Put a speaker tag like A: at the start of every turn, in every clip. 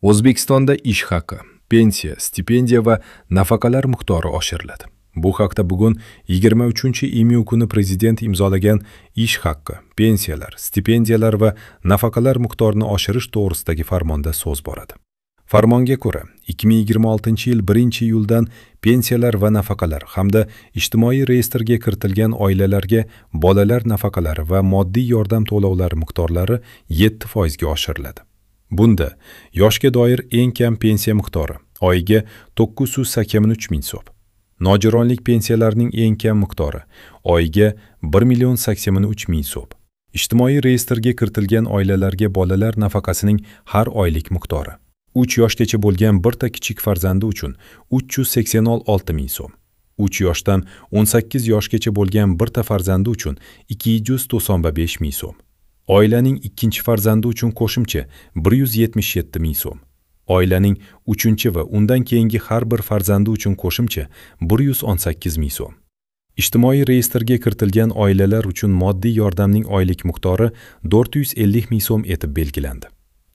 A: O'zbekistonda ish haqi, pensiya, stipendiya va nafaqalar miqdori oshiriladi. Bu haqda bugun 23-iyun kuni prezident imzolagan ish haqi, pensiyalar, stipendiyalar va nafaqalar miqdorini oshirish to'g'risidagi farmonda so'z boradi. Farmonga ko'ra, 2026-yil 1-iyuldan pensiyalar va nafaqalar hamda ijtimoiy reyestrga kiritilgan oilalarga bolalar nafaqalari va moddiy yordam to'lovlari miqdorlari 7% ga oshiriladi. Bunda yoshga doir eng kam pensiya miqdori oyiga 983 ming so'm. Nogironlik pensiyalarining eng kam miqdori oyiga 1 million 83 ming so'm. Ijtimoiy reyestrga kiritilgan oilalarga bolalar nafaqasining har oylik miqdori 3 yoshgacha bo'lgan birta kichik farzandi uchun 386 ming so'm. 3 yoshdan 18 yoshgacha bo'lgan birta farzandi uchun 295 ming so'm. Oilaning ikkinchi farzandi uchun qo'shimcha 177 ming so'm. Oilaning uchinchi va undan keyingi har bir farzandi uchun qo'shimcha 118 ming so'm. Ijtimoiy reyestrga kiritilgan oilalar uchun moddiy yordamning oylik miqdori 450 ming so'm etib belgilandi.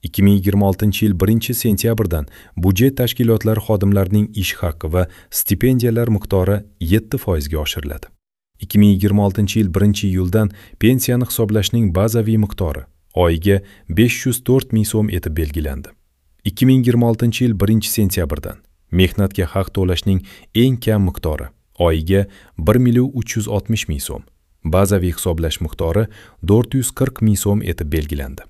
A: 2026-yil 1-sentyabrdan byudjet tashkilotlari xodimlarining ish haqi va stipendiyalar miqdori 7% ga oshiriladi. 2026-yil 1-iyuldan pensiyani hisoblashning bazaviy miqdori oyiga 504 ming so'm etib belgilandi. 2026-yil 1-sentyabrdan mehnatga haq to'lashning eng kam miqdori oyiga 1 million 360 ming so'm, bazaviy hisoblash miqdori 440 ming so'm etib belgilandi.